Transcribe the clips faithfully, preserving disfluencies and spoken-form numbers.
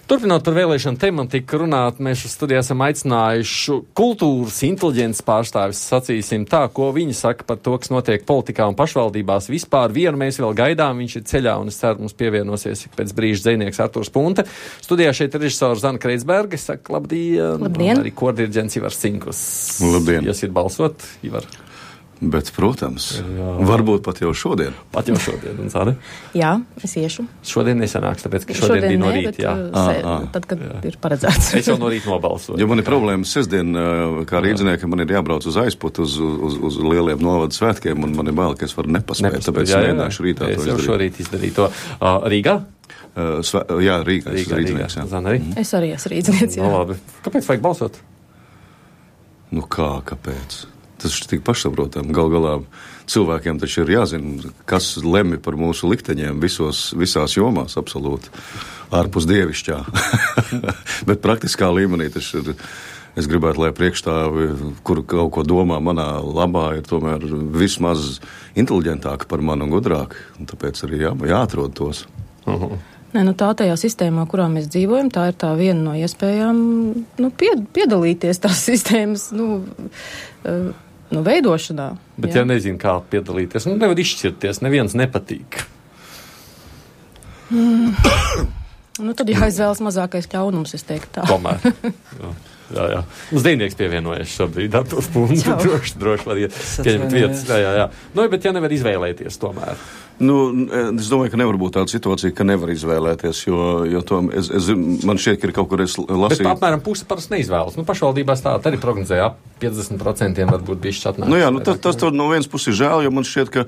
Turpinot par vēlēšanu tematiku runāt, mēs studijā esam aicinājuši kultūras inteliģences pārstāvis, sacīsim tā, ko viņi saka par to, kas notiek politikā un pašvaldībās. Vispār vienu mēs vēl gaidām, viņš ir ceļā un es ceru, mums pievienosies pēc brīža dzejnieks Arturs Punte. Studijā šeit ir režisors Zana Kreitsberga, es saku labdien, labdien. Un arī kordirģents Ivars Cinkus. Labdien. Iesiet balsot, Ivar. Bet, protams, jā. Varbūt pat jau šodien. Pat jau šodien, un Zāne? Jā, es iešu. Šodien nesanāks, tāpēc, ka šodien, šodien bija no rīta, jā. Se, à, à. Tad, kad jā. Ir paredzēts. Es jau no rīta nobalsoju. Jo man ir problēma sestdien, kā rīdziniekam, man ir jābrauc uz aizputu, uz, uz, uz lieliem novadu svētkiem, un man ir bail, ka es varu nepaspēt, Nepaspēt tāpēc jā, jā, mēģināšu rītā es to izdarīt. Es jau šorīt izdarīju to. Uh, Rīgā? Uh, svē, jā, Rīgā, Rīgā, rīdzinieks, jā. Zana arī? Es arī esmu rīdzinieks, jā. No, labi. Kāpēc vajag balsot? Nu kā, kāpēc? Tas ir tik pašsaprotami. Gal galā cilvēkiem taču ir jāzina, kas lemj par mūsu likteņiem visos, visās jomās, absolūti, ārpus dievišķā. Bet praktiskā līmenī tas ir, es gribētu, lai priekšstāvi, kur kaut ko domā manā labā, ir tomēr vismaz inteliģentāki par mani un gudrāki. Un tāpēc arī jā, jāatrod tos. Uh-huh. Nē, nu tā tajā sistēmā, kurā mēs dzīvojam, tā ir tā viena no iespējām, nu, pied, piedalīties tās sistēmas, nu, uh, nu, veidošanā. Bet jā. Ja nezinu, kā piedalīties, nu, nevar izšķirties, neviens nepatīk. Mm. Nu, tad jāizvēlas mazākais ļaunums, es teiktu tā. Tomēr. Jā, jā, jā. Uz dejnieks pievienojies šobrīd, Arturs Punte, droši, droši var pieņemt vietas. Jā, jā, jā. Nu, bet ja nevar izvēlēties tomēr. Nu, es domāju, ka nevar būt tāda situācija, ka nevar izvēlēties, jo, jo to, es, es, man šķiet, ka ir kaut kur es lasīju. Bet apmēram pusi parasti neizvēlas. Nu, pašvaldībās tā arī prognozēja ap piecdesmit procentiem varbūt bišķi atnāks. Nu jā, nu tas, tas no vienas puses ir žēl, jo man šķiet, ka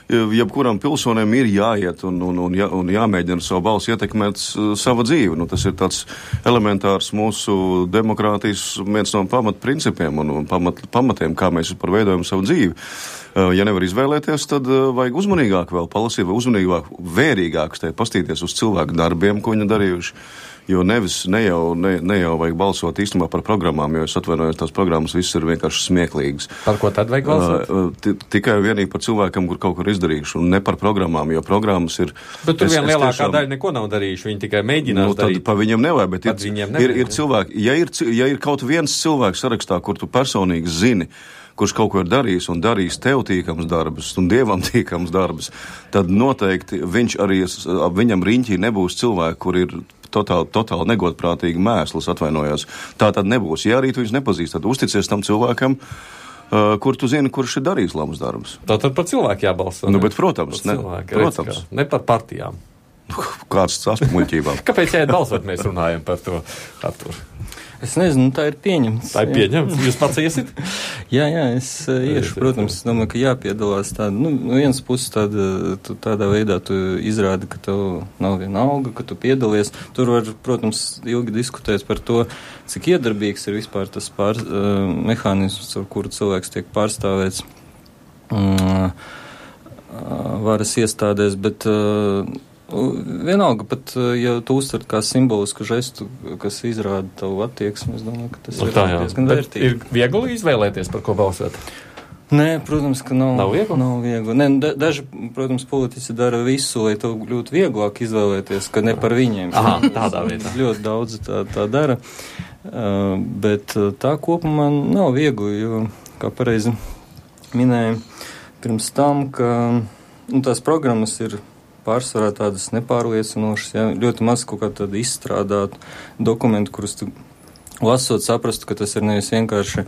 jebkuram pilsonim ir jāiet un, un, un, jā, un jāmēģina savu balsu ietekmēt uh, savu dzīvi. Nu, tas ir tāds elementārs mūsu demokrātijas viens no pamatprincipiem un, un pamat, pamatiem, kā mēs par veidojam savu dzīvi. Uh, ja nevar izvēlēties, tad uh, vajag uzmanīgāk vēl palasīt, vai uzmanīgāk, vērīgāk pastīties uz cilvēku darbiem, ko viņi darījuši. Jo nevis, ne jau, ne, ne jau vajag balsot īstenībā par programmām, jo es atvainojos, tās programmas viss ir vienkārši smieklīgas. Par ko tad vajag balsot? Uh, t- tikai vienīgi par cilvēkam, kur kaut kur izdarījuši, un ne par programmām, jo programmas ir... Bet tur es, vien es lielākā tiešām, daļa neko nav darījuši, viņi tikai mēģinās nu, darīt. Tad pa viņiem nevajag, bet ir, nevajag, ir, ir cilvēki, ja ir, ja ir kaut viens cilvēks sarakstā, kur tu personīgi zini, kurš kaut ko ir darījis un darījis tev tīkams darbus un dievam tīkams darbus, tad noteikti viņš arī, ap viņam riņķī nebūs cilvēki, kur ir totāli, totāli negodprātīgi mēsls, atvainojos. Tā tad nebūs. Ja arī tu viņus nepazīst, tad uzticies tam cilvēkam, uh, kur tu zini, kurš ir darījis labus darbus. Tātad par cilvēku jābalso. Nu, bet, protams, ne, cilvēku, protams. Redz, ne par partijām. Kāds tas muļķībām. Kāpēc jāiet balsot, mēs runājam par to, Artur? Es nezinu, tā ir pieņemts. Tā ir pieņemts? Jūs pats iesit? jā, jā, es uh, iešu. Protams, es domāju, ka jāpiedalās tāda, nu, no vienas puses tāda, tu, tādā veidā tu izrādi, ka tev nav viena alga, ka tu piedalies. Tur var, protams, ilgi diskutēt par to, cik iedarbīgs ir vispār tas pār, uh, mehānisms, ar kuru cilvēks tiek pārstāvēts uh, uh, varas iestādēs, bet uh, vienalga, pat ja tu uztver kā simbolisku žestu, kas izrāda tavu attieksmi, es domāju, ka tas no, ir tā, diezgan vērtīgi. Ir viegli izvēlēties, par ko balsot? Nē, protams, ka nav, nav viegli. Nav viegli. Nē, da, daži, protams, politiķi dara visu, lai tev kļūtu vieglāk izvēlēties, ka ne par viņiem. Aha, tādā veidā. Ļoti daudz tā, tā dara, uh, bet tā kopumā nav viegli, jo, kā pareizi minēja pirms tam, ka nu, tās programmas ir pārsvarā tādas nepārliecinošas, ja, ļoti maz kaut kā tāda izstrādāta dokumentu, kurus tu lasot saprastu, ka tas ir nevis vienkārši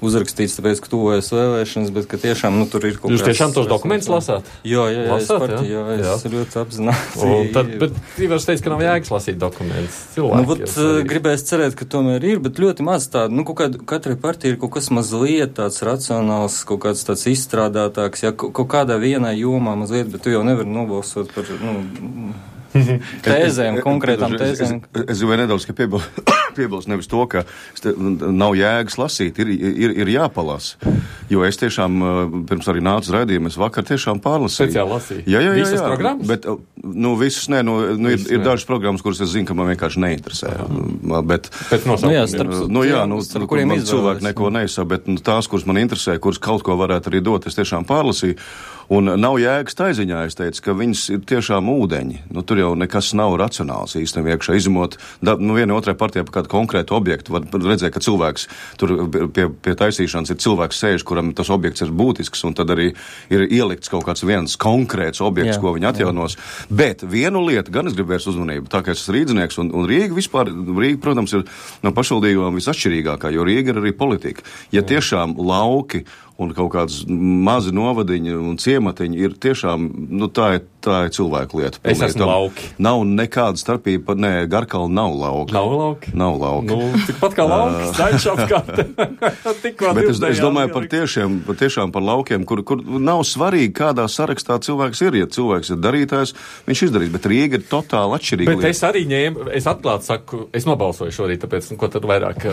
uzrakstīts, tāpēc, ka tuvojas vēlēšanas, bet ka tiešām, nu, tur ir kaut kāds... Jūs tiešām tos dokumentus lasāt? Jā, jā, jā, lasāt, es partiju, jā, jā, es jā. ļoti apzināti. Un tad, bet Ivars teica, ka nav jēgas lasīt dokumentus. Cilvēki. Nu, vat, gribēs cerēt, ka tomēr ir, bet ļoti maz tāda, nu, kaut kāda, katrai partija ir kaut kas mazliet tāds racionāls, kaut kāds tāds izstrādātāks, ja, kaut kādā vienā jomā mazliet, bet tu jau nevari nobalsot par, nu, tēzēm, konkrētām tēzēm. Es, es, es, es jau nedaudz, ka piebil, piebilst nevis to, ka nav jēgas lasīt, ir, ir, ir jāpalasa. Jo es tiešām, pirms arī nācu raidījumu, es vakar tiešām pārlasīju. Speciāli lasīju? Jā, jā, jā. Visas jā. programmas? Bet, nu, visas nē, nu, nu ir, ir dažas programmas, kuras es zinu, ka man vienkārši neinteresē. Uh-huh. Bet, nu, jā, starp, nu, jā, nu, starp kur kuriem man cilvēki neko jā. neizsaka, bet nu, tās, kuras man interesē, kuras kaut ko varētu arī dot, es tiešām pārlasīju. Un nav jēgas taiziņā, es teicu, ka viņas ir tiešām ūdeņi. Nu, tur jau nekas nav racionāls īstenībā iekšā izmot. Da, nu, viena otrai partijā par kādu konkrētu objektu var redzēt, ka cilvēks tur pie, pie taisīšanas ir cilvēks sēž, kuram tas objekts ir būtisks, un tad arī ir ielikts kaut kāds viens konkrēts objekts, jā, ko viņi atjaunos. Jā. Bet vienu lietu gan es gribu vērst uzmanību, tā kā es esmu rīdzinieks, un, un Rīga vispār, Rīga, protams, ir no pašvaldībām visatšķirīgākā, jo Rīga ir arī politika. Ja jā. Tiešām lauki un kaut kāds mazi novadiņi un ciematiņi ir tiešām, nu tā ir, tā ir cilvēku lieta. Es esmu Tam lauki. Nav nekāda starpība, nē, Garkalna nav lauki. Nav lauki? Nav lauki. Nu, tikpat kā lauki, staļš apkārt. Bet es, es domāju par tiešiem, par tiešām par laukiem, kur, kur nav svarīgi, kādā sarakstā cilvēks ir. Ja cilvēks ir darītājs, viņš izdarīs, bet Rīga ir totāli atšķirīga. Bet lieta. Es arī ņēmu, es atklāti saku, es nobalsoju šorīt, tāpēc, nu, ko tad vairāk,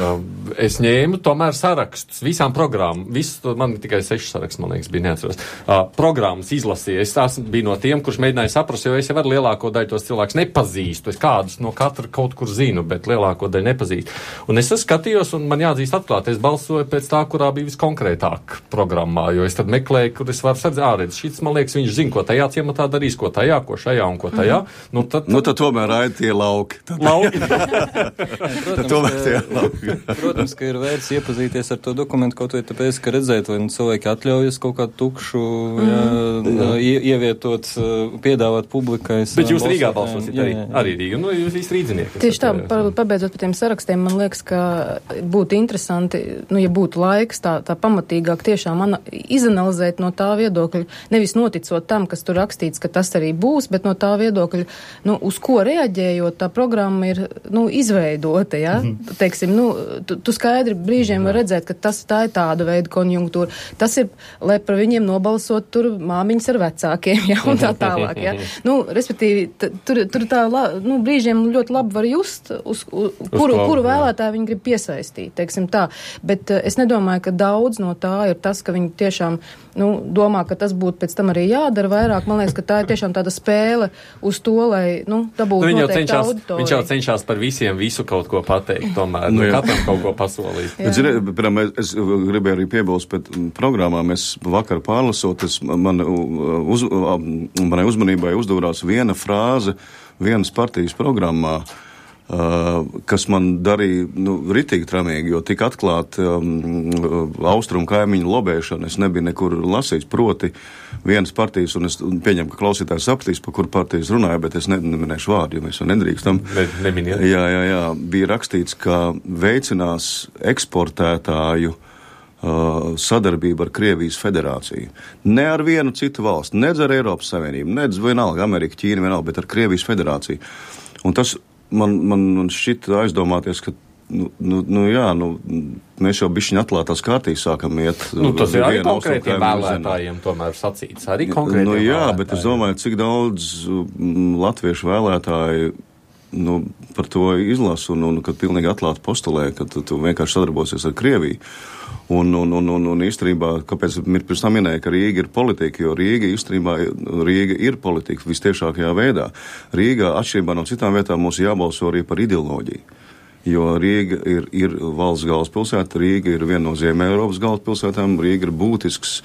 es ņēmu tomēr sarakstus visām programmām, visu to man tikai seši saraksts, man liekas, bija neatceros. Uh, programmas izlasīja. Es tās biju no tiem, kurš mēģināja saprast, jo es jau ar lielāko daļu tos cilvēkus nepazīstu. Es kādus no katra kaut kur zinu, bet lielāko daļu nepazīstu. Un es skatījos, un man jāatzīst atklāt, es balsoju pēc tā, kurā bija viskonkrētāk programmā, jo es tad meklēju, kur es varu sardzēt, ārēdz, šis, man liekas, viņš zina, ko tajā ciematā darīs, ko tajā, ko šajā un ko tajā. Mm. Nu, tad, nu, tad tomēr raid tie lauki. Tad, lauki. Protams, tomēr tie lauki. Protams, ka ir vērts iepazīties ar to dokumentu, kaut vai tāpēc, ka redzēt, vai cilvēki atļaujas kaut kādu tukšu mm. jā, ie, ievietot, piedāvāt publikai. Bet jūs Rīgā balsosiet arī, arī Rīga, nu jūs visi rīdzinieki. Tieši tā, par, pabeidzot par tiem sarakstiem, man liekas, ka būtu interesanti, nu, ja būtu laiks tā, tā pamatīgāk tiešām ana, izanalizēt no tā viedokļa, nevis noticot tam, kas tur rakstīts, ka tas arī būs, bet no tā viedokļa, nu, uz ko reaģējot, tā programma ir, nu, izveidota, ja? Mm. Teiksim, nu, tu, tu skaidri brīžiem var redzēt, ka tas tā ir tāda veida konjunktūra. Tas ir, lai par viņiem nobalsot tur māmiņas ar vecākiem, ja, un tā tālāk, ja. Nu, respektīvi, t, tur, tur tā, la, nu, brīžiem ļoti labi var just, uz, uz, uz kuru, klavu, kuru vēlētāju viņi grib piesaistīt, teiksim tā. Bet uh, es nedomāju, ka daudz no tā ir tas, ka viņi tiešām, nu, domā, ka tas būtu pēc tam arī jādara vairāk. Man liekas, ka tā ir tiešām tāda spēle uz to, lai, nu, tā būtu nu, noteikti auditorija. Viņš jau cenšās par visiem visu kaut ko pateikt, tomēr, nu, katram kaut ko pasolīt. Bet, zini, piemēram, es gribēju arī piebilst pēc programmām. Es vakar pārlasot, es, man, uz, manai uzmanībai uzdevās viena frāze vienas partijas programmā, uh, kas man darīja, nu, ritīgi tramīgi, jo tika atklāt um, austrumu kaimiņu lobēšana. Es nebiju nekur lasījis, proti vienas partijas, un es pieņemu, ka klausītājs sapratīs, par kur partijas runāja, bet es ne, neminēšu vārdu, jo mēs jau nedrīkstam. Ne, neminiet. Jā, jā, jā. Bija rakstīts, ka veicinās eksportētāju sadarbība ar Krievijas federāciju. Ne ar vienu citu valstu, nedz ar Eiropas Savienību, nedz vienalga Amerika, Ķīna, vienalga, bet ar Krievijas federāciju. Un tas man, man, man šķita aizdomāties, ka, nu, nu, nu jā, nu, mēs jau bišķiņ atklātās kārtīs sākam iet. Nu, tas ir arī konkrētiem vēlētājiem tomēr sacīts, arī konkrētiem nu, jā, vēlētājiem. Bet es domāju, cik daudz m, latviešu vēlētāji nu, par to izlasu un, un kad pilnīgi atklāti postulē, ka tu, tu vienkārši sadarbosies ar Krieviju. Un, un, un, un, un īstenībā, kāpēc pirms tam minēja, ka Rīga ir politika, jo Rīga īstenībā, Rīga ir politika vistiešākajā veidā. Rīgā, atšķirībā no citām vietām, mums jābalso arī par ideoloģiju. Jo Rīga ir, ir valsts galvaspilsēta, Rīga ir viena no Ziemeļeiropas galvaspilsētām, Rīga ir būtisks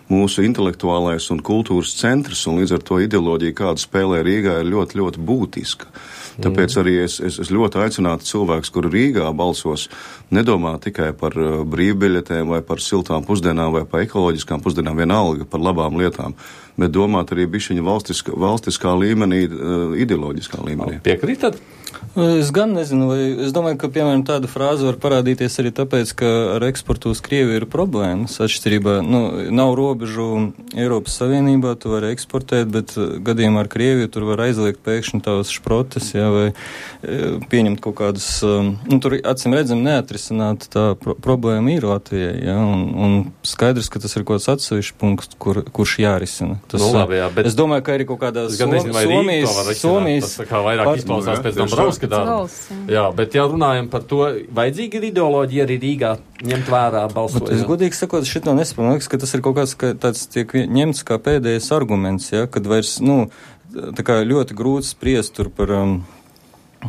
mūsu intelektuālais un kultūras centrs, un līdz ar to ideoloģija, kāda spēlē Rīgā, ir ļoti, ļoti būtiska. Tāpēc arī es, es, es ļoti aicinātu cilvēkus, kuri Rīgā balsos, nedomā tikai par uh, brīvbiļetēm vai par siltām pusdienām vai par ekoloģiskām pusdienām, vienalga par labām lietām, bet domāt arī bišķiņa valstiskā, valstiskā līmenī, uh, ideoloģiskā līmenī. Piekrītat? Es gan nezinu, vai es domāju, ka, piemēram, tāda frāze var parādīties arī tāpēc, ka ar eksportu uz Krieviju ir problēmas atšķirībā. Nu, nav robeža robežu Eiropas Savienībā, tu vari eksportēt, bet gadījumā ar Krieviju tur var aizliegt pēkšņi tavas šprotes, jā, vai pieņemt kaut kādus, nu, tur acīm redzam neatrisināt tā pro- problēma ir Latvijai, jā, un, un skaidrs, ka tas ir kaut kāds atsevišķs punkts, kur, kurš jārisina. Tas, nu, labi, jā, bet es domāju, ka arī kaut kādā Som, Somijas, Somijas, tas tā kā vairāk par, izklausās nu, pēc Dombrovska darba. Jā, bet ja runājam par to, vajadzīga ir ideoloģija arī Rīgā ņemt vērā balsojot. Es godīgi sakot, šito nesaprotu. Man liekas, ka tas ir kaut kāds, ka tāds tiek ņemts kā pēdējais arguments, ja, kad vairs, nu, tā kā ļoti grūti spriest tur par um,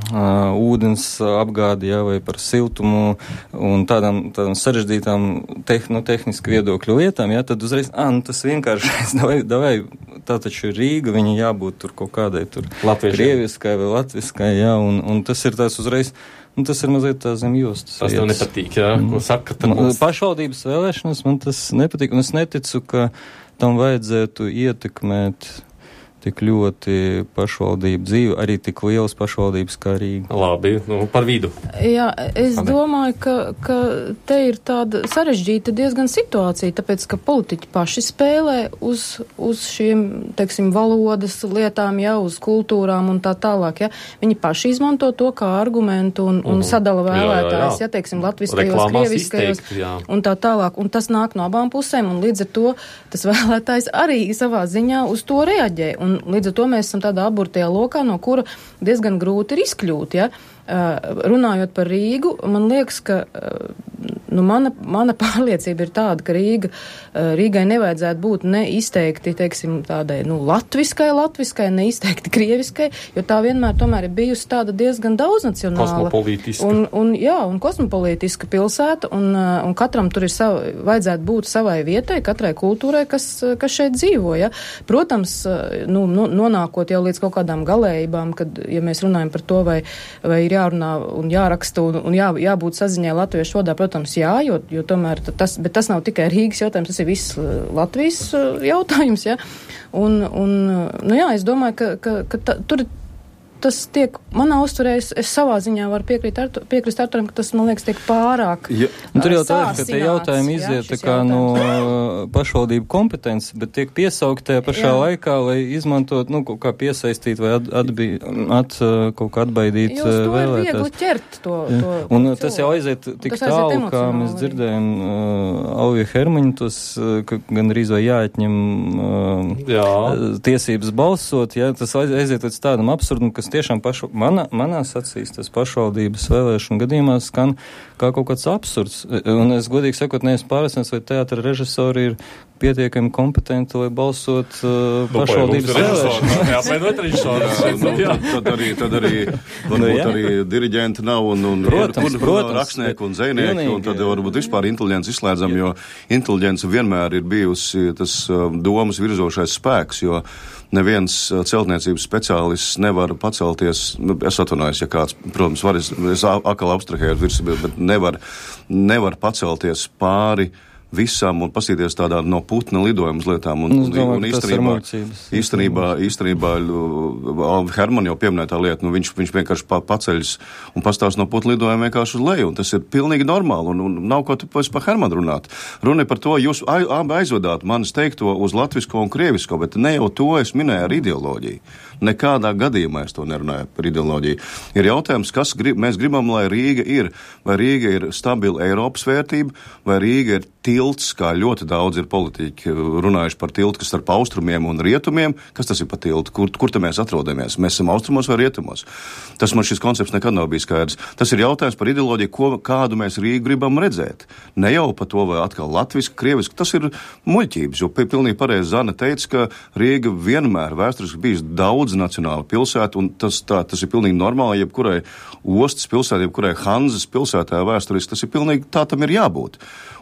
uh, ūdens apgādi, ja, vai par siltumu un tādām, tādām sarežģītām tehn, no tehniski viedokļu lietām, ja, tad uzreiz, ā, nu, tas vienkārši, davai, davai, tā taču ir Rīga, viņa jābūt tur kaut kādai tur krieviskai vai latviskai, ja, un, un tas ir tās uzreiz, nu, tas ir mazliet tā zem jostas. Tas tev nepatīk, jā, ko saka, tad mums... Pašvaldības vēlēšanas man tas nepatīk, un es neticu, ka tam vajadzētu ietekmēt tik ļoti pašvaldību dzīvi, arī tik lielas pašvaldības kā Rīga. Labi, nu, par vidu. Jā, es Ane. domāju, ka, ka te ir tāda sarežģīta diezgan situācija, tāpēc, ka politiķi paši spēlē uz, uz šiem, teiksim, valodas lietām, jā, uz kultūrām un tā tālāk, jā. Viņi paši izmanto to kā argumentu un, un mm. sadala vēlētājs, jā, jā, teiksim, latviskajos, krieviskajos un tā tālāk. Un tas nāk no abām pusēm, un līdz ar to tas vēlētājs arī savā ziņā uz to reaģē. Un Un līdz ar to mēs esam tādā aburtajā lokā, no kura diezgan grūti ir izkļūt, ja. Uh, runājot par Rīgu, man liekas, ka uh, nu, mana, mana pārliecība ir tāda, ka Rīga, uh, Rīgai nevajadzētu būt ne izteikti, teiksim, tādai, nu, latviskai, latviskai, ne izteikti krieviskai, jo tā vienmēr tomēr ir bijusi tāda diezgan daudznacionāla. Kosmopolītiska. Un, un, jā, un kosmopolītiska pilsēta, un, uh, un katram tur ir sava, vajadzētu būt savai vietai, katrai kultūrai, kas, kas šeit dzīvo, ja. Protams, uh, nu, nu, nonākot jau līdz kaut kādām galējībām, kad, ja mēs runājam par to, vai, vai ir jārunā un jāraksta un, un jā, jābūt saziņai latviešu valodā, protams, jā, jo, jo tomēr tas, bet tas nav tikai Rīgas jautājums, tas ir viss Latvijas jautājums, jā. Un, un, nu jā, es domāju, ka, ka, ka ta, tur tas tiek, manā uzturē, es, es savā ziņā varu piekrīt, Artu, piekrist Arturam, ka tas, man liekas, tiek pārāk ja. uh, Tur jau tā ir, ka tie jautājumi iziet tā kā no uh, pašvaldību kompetences, bet tiek piesaukt tajā pašā jā. laikā, lai izmantot, nu, kaut kā piesaistīt vai at, atbī, at, uh, kaut kā atbaidīt uh, vēlētājs. Jo to ir viegli ķert to, to Un uh, tas jau aiziet tik tas tālu, aiziet kā mēs dzirdējam uh, Alvija Hermaņa, tos, uh, ka gan arī vai jāatņem uh, jā. tiesības balsot, jā, tas aiziet līdz tādam absurdam, kas tiešām pašu, mana, manās acīs tas pašvaldības vēlēšanu gadījumā skan kā kaut kāds absurds. Un es godīgi sakot, neesmu pārliecināts, vai teātra režisori ir pietiekami kompetenti, lai balsot uh, nu, pašvaldības vēlēšanās. Jā, apvienot režisori. Nu, tad, tad arī, tad arī varbūt nu, arī diriģenti nav un, un protams, ir, protams, rakstnieki un dzejnieki, vienīgi, un tad varbūt vispār inteliģents izslēdzam, jo inteliģence vienmēr ir bijusi tas domas virzošais spēks, jo neviens celtniecības speciālists nevar pacelties, es atvainojos, ja kāds, protams, var, es, es akal abstrahēju virs, bet nevar, nevar pacelties pāri visam un pasīties tādā no putna lidojuma lietām. Un, un, un īstenībā, īstenībā, īstenībā Herman jau pieminēja tā lieta, nu viņš, viņš vienkārši pa, paceļas un pastāst no putna lidojuma vienkārši uz leju, un tas ir pilnīgi normāli, un, un nav ko tu par Hermanu runāt. Runa par to, jūs abi aizvedāt manis teikto uz latvisko un krievisko, bet ne jau to es minēju ar ideoloģiju. Nekādā gadījumā es to nerunāju par ideoloģiju. Ir jautājums, kas grib, mēs gribam, lai Rīga ir, vai Rīga ir stabila Eiropas vērtība, vai Rīga ir tilts, kā ļoti daudz ir politiķi runājuši par tiltu, kas starp austrumiem un rietumiem. Kas tas ir par tiltu? Kur, kur te mēs atrodamies? Mēs esam austrumos vai rietumos? Tas man šis koncepts nekad nav bijis skaidrs. Tas ir jautājums par ideoloģiju, ko, kādu mēs Rīgu gribam redzēt. Ne jau par to, vai atkal latviski, krieviski. Tas ir muļķības, jo pilnīgi pareizi Zana teica, ka Rīga vienmēr vēsturiski bijis daudz nacionāla pilsēta, un tas, tā, tas ir pilnīgi normāli, jebkurai ostas pilsētai, jebkurai Hanzas pilsētā vēsturiski, tas ir pilnīgi, tā tam ir jābūt.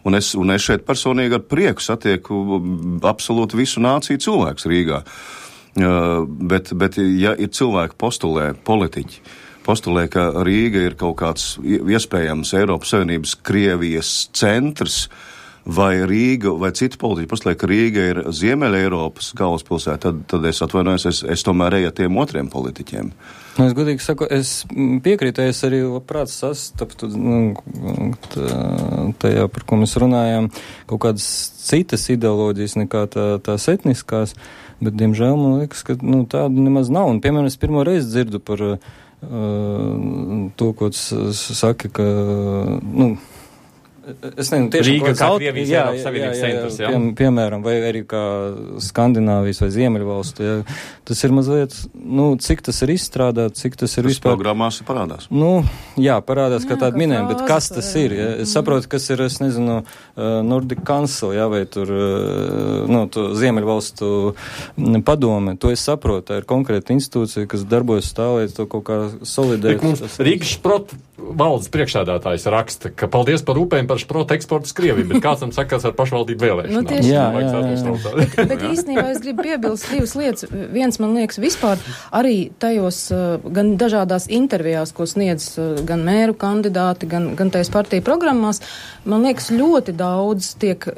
Un es, un es šeit personīgi ar prieku satieku absolūti visu nāciju cilvēks Rīgā. Uh, bet, bet, ja ir cilvēki postulē, politiķi, postulē, ka Rīga ir kaut kāds iespējams Eiropas Savienības Krievijas centrs, vai Rīga, vai citi politiķi pasliek, ka Rīga ir Ziemeļa Eiropas galvaspilsēta, tad, tad es atvainojos, es, es tomēr eju tiem otriem politiķiem. Nu, es godīgi saku, es piekrītu, es arī labprāt sastaptu, nu, tajā, par ko mēs runājām, kaut kādas citas ideoloģijas nekā tā, tās etniskās, bet, diemžēl, man liekas, ka, nu, tāda nemaz nav. Un, piemēram, es pirmo reizi dzirdu par uh, to, ko tu saki, ka, nu, es nezinu, tieši Rīga kā Krievijas Eiropas Savienības centrs, jā? Pie, piemēram, vai arī kā Skandināvijas vai Ziemeļvalstu, jā. Tas ir mazliet, nu, cik tas ir izstrādāt, cik tas ir tas vispār... programmās parādās. Nu, jā, parādās, Jā, kā tāda kā minējuma, bet kas tas frāze, ir? Ja? Es saprotu, kas ir, es nezinu, uh, Nordic Council, jā, vai tur, uh, nu, to Ziemeļvalstu padome, to es saprotu, tā ir konkrēta institūcija, kas darbojas tā, lai to kaut kā solidēt. Rīgas šprot valdes priekšsēdētājs raksta, ka paldies par upēm par šprotu eksportu uz Krieviju, bet kāds tam sakās ar pašvaldību vēlēšanām? Nu, tieši, jā, jā, jā. bet, bet īstenībā es gribu piebilst divas lietas. Viens, man liekas, vispār arī tajos gan dažādās intervijās, ko sniedz gan mēru kandidāti, gan, gan tajās partiju programmās, man liekas, ļoti daudz tiek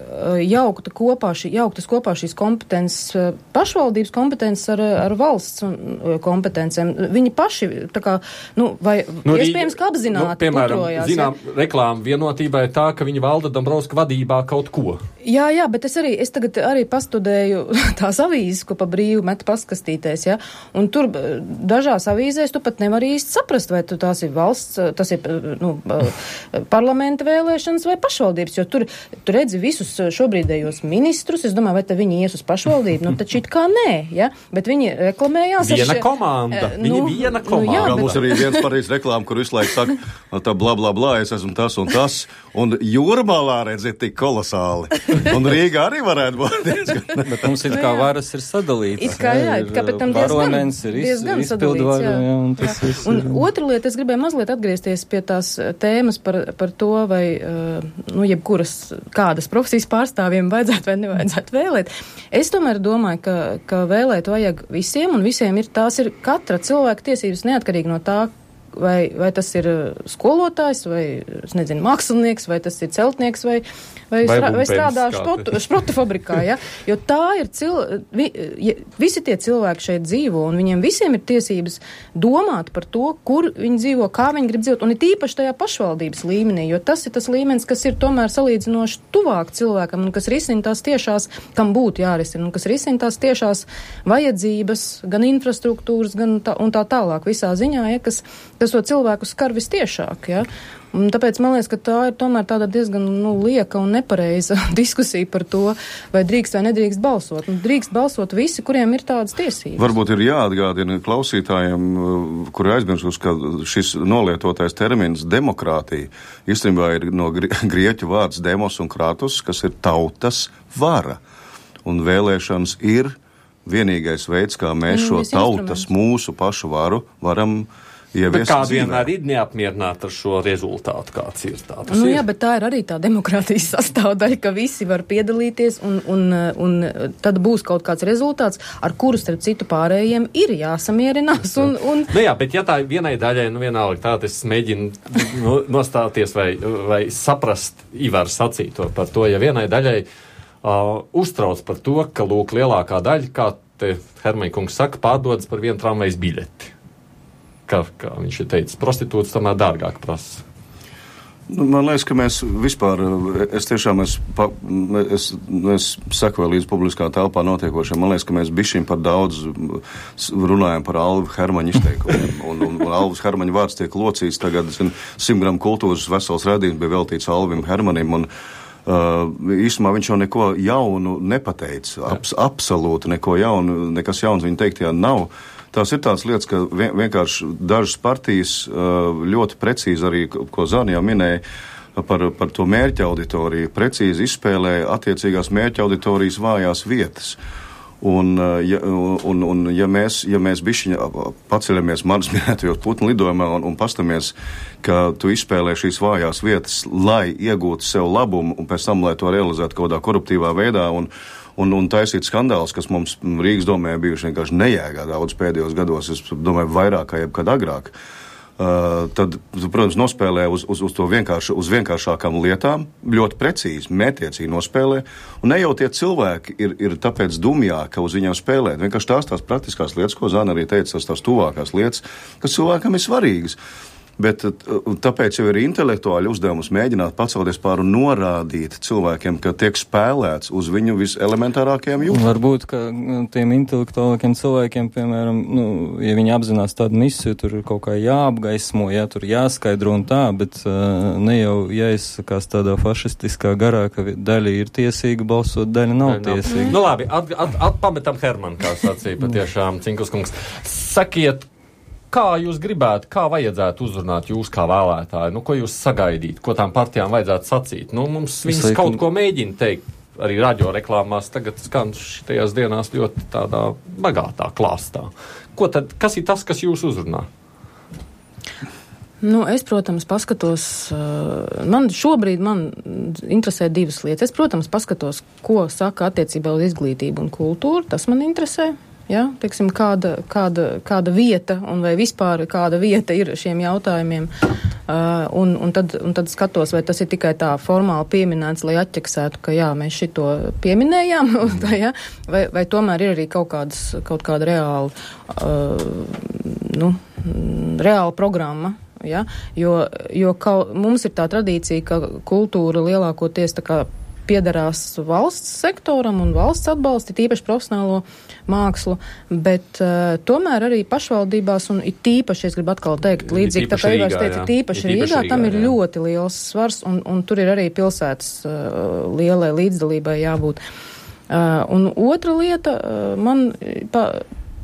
jaukta kopā, šī, jauktas kopā šīs kompetences, pašvaldības kompetences ar, ar valsts kompetencēm. Viņi paši, tā kā, nu, vai nu, iespējams, ka apzināti nu, piemēram, putrojās, zinām, ja? Reklāma vienotībai tā, ka viņi valda Dombrovska vadībā kaut ko. Jā, jā, bet es arī, es tagad arī pastudēju tās avīzes, ko pa brīvu met paskastīties, ja, un tur dažās avīzēs tu pat nevar īsti saprast, vai tu tās ir valsts, tas ir, nu, parlamenta vēlēšanas vai pašvaldības, jo tur, tu redzi visus šobrīdējos ministrus, es domāju, vai te viņi ies uz pašvaldību, nu, taču it kā nē, ja, bet viņi reklamējās. Viena še, komanda, viņi nu, viena nu, komanda. jā, Kā bet... mums arī viens pareiz reklāma, kur visu laiku saka, tā blā, blā, blā, es esmu tas un tas, un Jūrmalā, redziet, tik kolosāli. Un Rīgā arī varētu būt diezgan. Bet mums ir kā varas ir sadalīts. It kā, jā, it kā, bet tam diezgan, parlaments ir iz, diezgan izpildu varu, jā. jā, un tas viss Un ir. otra lieta, es gribēju mazliet atgriezties pie tās tēmas par, par to, vai, nu, jebkuras kādas profesijas pārstāvjiem vajadzētu vai nevajadzētu vēlēt. Es tomēr domāju, ka, ka vēlēt vajag visiem, un visiem ir tās ir katra cilvēka tiesības neatkarīgi no tā, vai, vai tas ir skolotājs, vai, es nezinu, mākslinieks, vai tas ir celtnieks, vai, vai, Vai strā, vai bumpens, strādā kā šprotu, šprotu fabrikā, ja? Jo tā ir cil, vi, ja, visi tie cilvēki šeit dzīvo, un viņiem visiem ir tiesības domāt par to, kur viņi dzīvo, kā viņi grib dzīvot, un ir tīpaši tajā pašvaldības līmenī, jo tas ir tas līmenis, kas ir tomēr salīdzinoši tuvāk cilvēkam, un kas risina tās tiešās, kam būtu jārisina, un kas risina tās tiešās vajadzības, gan infrastruktūras, gan tā, un tā tālāk visā ziņā, ja, kas kas to cilvēku skar vistiešāk, ja? Un tāpēc man liekas, ka tā ir tomēr tāda diezgan, nu, lieka un nepareiza diskusija par to, vai drīkst vai nedrīkst balsot. Un drīkst balsot visi, kuriem ir tādas tiesības. Varbūt ir jāatgādina klausītājiem, kuri aizmirsus, ka šis nolietotais termins demokrātija īstenībā ir no grieķu vārds demos un kratos, kas ir tautas vara. Un vēlēšanas ir vienīgais veids, kā mēs šo tautas mūsu pašu varu varam Bet kāda vienmēr ir neapmierināta ar šo rezultātu, kāds ir tā? Nu ir. Jā, bet tā ir arī tā demokrātijas sastāvdaļa, ka visi var piedalīties un, un, un tad būs kaut kāds rezultāts, ar kuru starp citu pārējiem ir jāsamierinās. Un, un... Nu jā, bet ja tā vienai daļai, nu vienalga tā, es mēģinu nostāties vai, vai saprast Ivar sacīto par to, ja vienai daļai uh, uztrauc par to, ka lūk lielākā daļa, kā te Hermaņa kungs saka, pārdodas par vienu tramvajas biļeti. Kā, kā viņš ir teicis, prostitūts tomēr dārgāk prasa. Nu, man liekas, ka mēs vispār, es tiešām, es, pa, es, es sekoju līdz publiskā telpā notiekošiem, man liekas, ka mēs bišķiņ par daudz runājam par Alvu Hermaņa izteikumiem, un, un, un Alvas Hermaņa vārds tiek locīts tagad, zin, simt gramu kultūras vesels redzījums bija veltīts Alvim Hermanim, un uh, īstumā viņš jau neko jaunu nepateica, Abs, absolūti neko jaunu, nekas jauns viņa teiktajā nav. Tās ir tādas lietas, ka vienkārši dažas partijas ļoti precīzi arī, ko Zāni jau minēja, par, par to mērķa auditoriju, precīzi izspēlē attiecīgās mērķa auditorijas vājās vietas. Un, ja, un, un ja mēs, ja mēs bišķiņa paceļamies manas minētajos putnu lidojumā un, un pastamies, ka tu izspēlē šīs vājās vietas, lai iegūtu sev labumu un pēc tam, lai to realizētu kaut kādā koruptīvā veidā un Un, un taisīt skandāls, kas mums Rīgas domē bijuši vienkārši nejēgā daudz pēdējos gados, es domāju, vairāk kā jebkad agrāk. Uh, tad, protams, nospēlē uz, uz, uz to vienkārši, uz vienkāršākām lietām, ļoti precīzi, mētiecīgi nospēlē, un ne jau tie cilvēki ir, ir tāpēc dumjāki, ka uz viņiem spēlēt. Vienkārši tās tās praktiskās lietas, ko Zana arī teica, tās tās tuvākās lietas, kas cilvēkam ir svarīgas. Bet tāpēc jau ir intelektuāli uzdevums mēģināt pacelties pār un norādīt cilvēkiem, ka tiek spēlēts uz viņu viselementārākajām jūtām. Varbūt, ka tiem intelektuālākiem cilvēkiem, piemēram, nu, ja viņi apzinās tādu misiju, tur ir kaut kā jāapgaismo, jā, tur jāskaidro un tā, bet uh, ne jau jāizsakās tādā fašistiskā garā, ka daļa ir tiesīga balsot, daļa nav ne, tiesīga. Nu labi, at, at, atpametam Hermanu, kā sacīja patiešām Cinkus kungs. Sakiet, kā jūs gribētu, kā vajadzētu uzrunāt jūs kā vēlētāji? Nu, ko jūs sagaidīt? Ko tām partijām vajadzētu sacīt? Nu, mums viņas Saikum. kaut ko mēģina teikt. Arī radio reklāmās tagad skan šitajās dienās ļoti tādā bagātā klāstā. Ko tad, kas ir tas, kas jūs uzrunā? Nu, es, protams, paskatos, man šobrīd man interesē divas lietas. Es, protams, paskatos, ko saka attiecībā uz izglītību un kultūru. Tas man interesē. Ja, teiksim, kāda, kāda, kāda vieta un vai vispār kāda vieta ir šiem jautājumiem. Uh, un, un, tad, un tad skatos, vai tas ir tikai tā formāli pieminēts, lai atķeksētu, ka jā, mēs šito pieminējām, tā, ja? vai, vai tomēr ir arī kaut, kādas, kaut kāda reāla, uh, nu, reāla programma. Ja? Jo, jo kaut, mums ir tā tradīcija, ka kultūra lielākoties tā kā piedarās valsts sektoram un valsts atbalsti, tīpaši profesionālo mākslu, bet uh, tomēr arī pašvaldībās, un it tīpaši, es gribu atkal teikt, līdzīgi, tā kā Ivars teica, tīpaši Rīgā, tam ir jā. ļoti liels svars, un, un tur ir arī pilsētas uh, lielai līdzdalībai jābūt. Uh, un otra lieta, uh, man pa,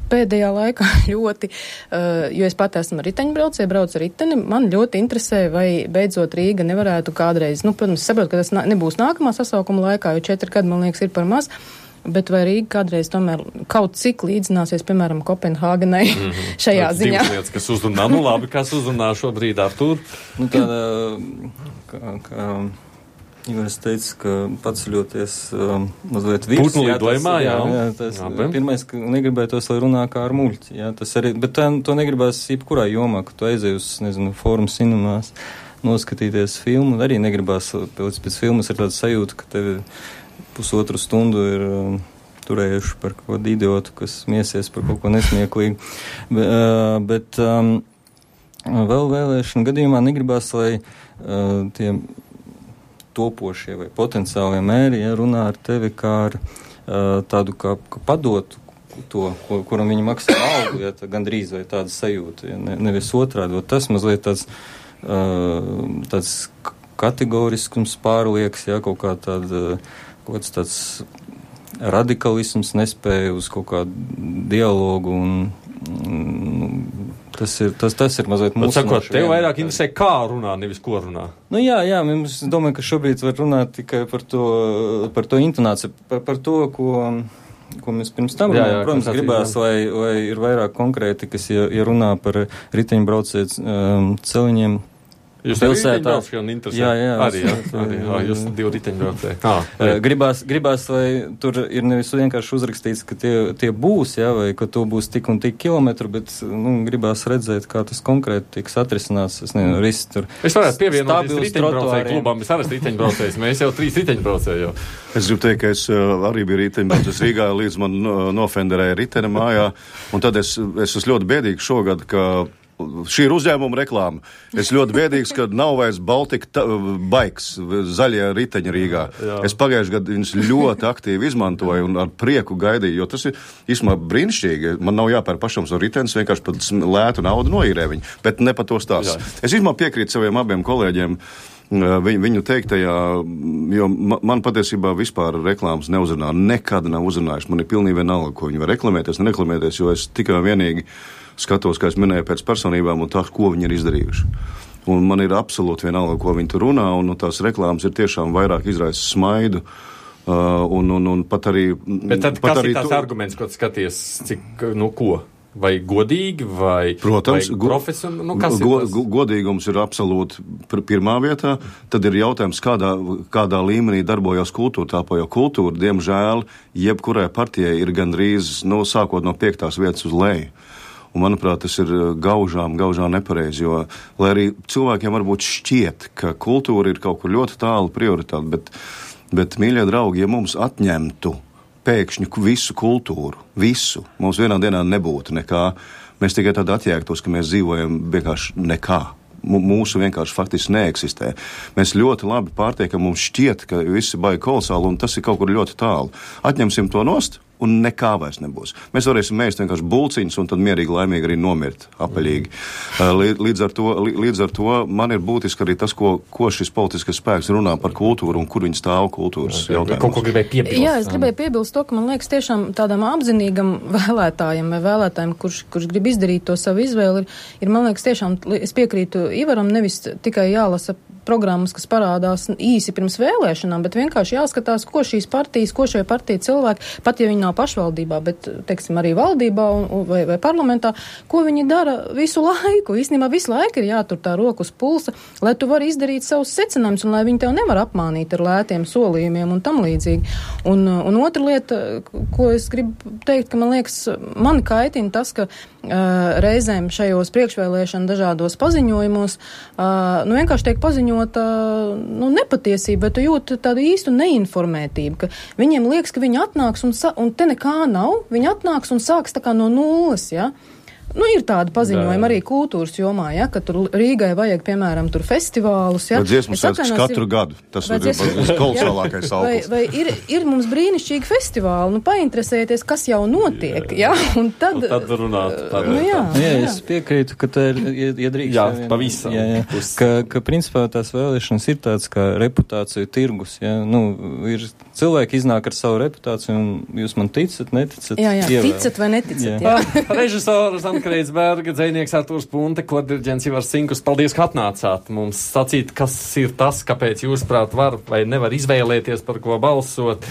pēdējā laikā ļoti, uh, jo es pat esmu riteņbraucēja, braucu ar riteni, man ļoti interesē, vai beidzot Rīga nevarētu kādreiz, nu, protams, saprotu, ka tas nā, nebūs nākamā sasaukuma laikā, jo četri gadi, man liekas, ir par maz, bet vai Rīga kādreiz tomēr kaut cik līdzināsies, piemēram, Kopenhāgenai mm-hmm. šajā Tāds ziņā. Divas lietas, kas uzrunā, nu labi, kas uzrunā šobrīd ar tur? Nu, tāda, kā, kā Ivars teica, ka paceļoties um, mazliet virs. Putnu lidojumā, jā. jā, jā tas, jā pirmais, ka negribētos, lai runā kā ar muļķi, jā, tas arī, bet tā, to negribās jebkurā jomā, ka tu aizēji uz, nezinu, fórumu cinemās, noskatīties filmu, arī negribās, pēc, pēc filmas ir tāda sajūta, ka tevi pusotru stundu ir um, turējuši par kaut kādu idiotu, kas miesies par kaut ko nesmieklīgu. Be, uh, bet um, vēl vēlēšanu gadījumā negribās, lai uh, tie topošie vai potenciālie mēri, ja runā ar tevi kā ar uh, tādu, kā, kā padotu to, ko, kuram viņi maksā algu, ja tā gandrīz vai tāda sajūta, ja ne, nevis otrādi. Tas mazliet tāds, uh, tāds kategoriskums pārlieks, ja kaut kā tāda, kaut kāds tāds radikalisms nespēja uz kaut kādu dialogu un, un Tas ir, tas, tas ir mazliet mūsu. Sakot, tev vairāk interesē, kā runā, nevis ko runā. Nu jā, jā, mums domāju, ka šobrīd var runāt tikai par to, par to intonāciju, par, par to, ko, ko mēs pirms tam runājam. Protams, gribās, lai, lai ir vairāk konkrēti, kas, ja, ja runā par riteņbraucēju um, celiņiem. Jūs pilsētā jā, jā, arī, jā, arī, jā, jūs divi riteņbraucēji. Ah, gribās, gribās, lai tur ir nevis vienkārši uzrakstīts, ka tie, tie būs, jā, vai ka to būs tik un tik kilometru, bet, nu, gribās redzēt, kā tas konkrēti tiks atrisināts. Es nezinu, riski tur. Es varētu pievienoties riteņbraucēju klubam, es arī riteņbraucējs, mēs jau trīs riteņbraucēji jau. Es gribu teikt, ka es uh, arī biju riteņbraucējs Rīgā, līdz man uh, nofenderēja ritene mājā, un tad es, es esmu ļoti biedīgs šogad, ka šī ir uzņēmuma reklāma. Es ļoti biedīgs, ka nav vairs Baltika baiks, zaļie riteņi Rīgā. Jā. Es pagājuši gadu viņus ļoti aktīvi izmantoju un ar prieku gaidīju, jo tas ir īstenībā brīnišķīgi. Man nav jāpēr pašam savu ritenis, vienkārši pat lētu naudu noīrē viņu, bet ne par to stāstu. Es īstenībā piekrītu saviem abiem kolēģiem viņu, viņu teiktajā, jo man, man patiesībā vispār reklāmas neuzrunā, nekad nav uzrunājuši. Man ir pilnīgi vienalga, ko viņi var reklamēties, nereklamēties, jo es tikai vienīgi skatos, kā es minēju, pēc personībām un tā, ko viņi ir izdarījuši. Un man ir absolūti vienalga, ko viņi tur runā, un, un tās reklāmas ir tiešām vairāk izraisa smaidu. Uh, un, un, un pat arī... Bet tad kas ir tās tu... arguments, ko tu skaties, cik, nu ko? Vai godīgi, vai, Protams, vai profesionāli? Nu, kas go, ir tas? Godīgums ir absolūti pirmā vietā. Tad ir jautājums, kādā, kādā līmenī darbojas kultūra. Tāpēc jau kultūra, diemžēl, jebkurai partijai ir gandrīz, nu, sākot no piektās vietas uz leju. Un, manuprāt, tas ir gaužām, gaužām nepareizi, jo, lai arī cilvēkiem varbūt šķiet, ka kultūra ir kaut kur ļoti tālu prioritāte, bet, bet, mīļie draugi, ja mums atņemtu pēkšņi visu kultūru, visu, mums vienā dienā nebūtu nekā, mēs tikai tad atjēgtos, ka mēs dzīvojam vienkārši nekā. Mūsu vienkārši faktiski neeksistē. Mēs ļoti labi pārtiekam, mums šķiet, ka visi baigi kolosāli, un tas ir kaut kur ļoti tālu. Atņemsim to nost, un nekā vairs nebūs. Mēs varēsim mēst vienkārši bulciņus, un tad mierīgi, laimīgi arī nomirt, apaļīgi. Līdz ar to, līdz ar to man ir būtiski arī tas, ko, ko šis politiskais spēks runā par kultūru, un kur viņi stāv kultūras jautājumos. Kaut ko gribēju piebilst. Jā, es gribēju piebilst to, ka man liekas tiešām tādam apzinīgam vēlētājam vai vēlētājiem, kurš, kurš grib izdarīt to savu izvēli, ir, ir, man liekas, tiešām, es piekrītu Ivaram, nevis tikai jālasa programmas, kas parādās īsi pirms vēlēšanām, bet vienkārši jāskatās, ko šīs partijas, ko šie partija cilvēki, pat ja viņi nav pašvaldībā, bet, teiksim, arī valdībā un, vai, vai parlamentā, ko viņi dara visu laiku. Īstenībā visu laiku ir jātur tā roku uz pulsa, lai tu vari izdarīt savus secinājumus un lai viņi tev nevar apmānīt ar lētiem solījumiem un tam līdzīgi. Un, un otra lieta, ko es gribu teikt, ka man liekas, mani kaitina tas, ka uh, reizēm šajos priekšvēlēšana dažādos paziņojumos, uh, nu vienkārši tiek paziņot nu, nepatiesība, bet tu jūti tādu īstu neinformētību, ka viņiem liekas, ka viņi atnāks un, sa- un te nekā nav, viņi atnāks un sāks tā kā no nulles, ja? Nu, ir tāda paziņojuma arī kultūras jomā, ja, ka tur Rīgai vajag, piemēram, tur festivālus, ja. Vai dziesmu svētkus katru ir, gadu, tas ir dziesmu... kolosālākais augurs. Vai, vai ir, ir mums brīnišķīgi festivāli, nu, painteresēties, kas jau notiek, jā, ja? Un tad... Un tad runāt. Tad, nu, jā, jā, jā, es piekrītu, ka tā ir, ja, ja drīkst... Jā, jā, pavisam. Jā, jā, ka, ka, principā, tās vēlēšanas ir tāds kā reputāciju tirgus, jā, nu, ir cilvēki iznāk ar savu reputāciju, un jūs man ticat, neticat? Jā, jā, ievēl. ticat vai neticat, jā. jā. Režisors Kreitsberga, dzejnieks Artūrs Punte, kodiriģents Ivars Sinkus. Paldies, ka atnācāt mums sacīt, kas ir tas, kāpēc jūs, prāt, var vai nevar izvēlēties, par ko balsot.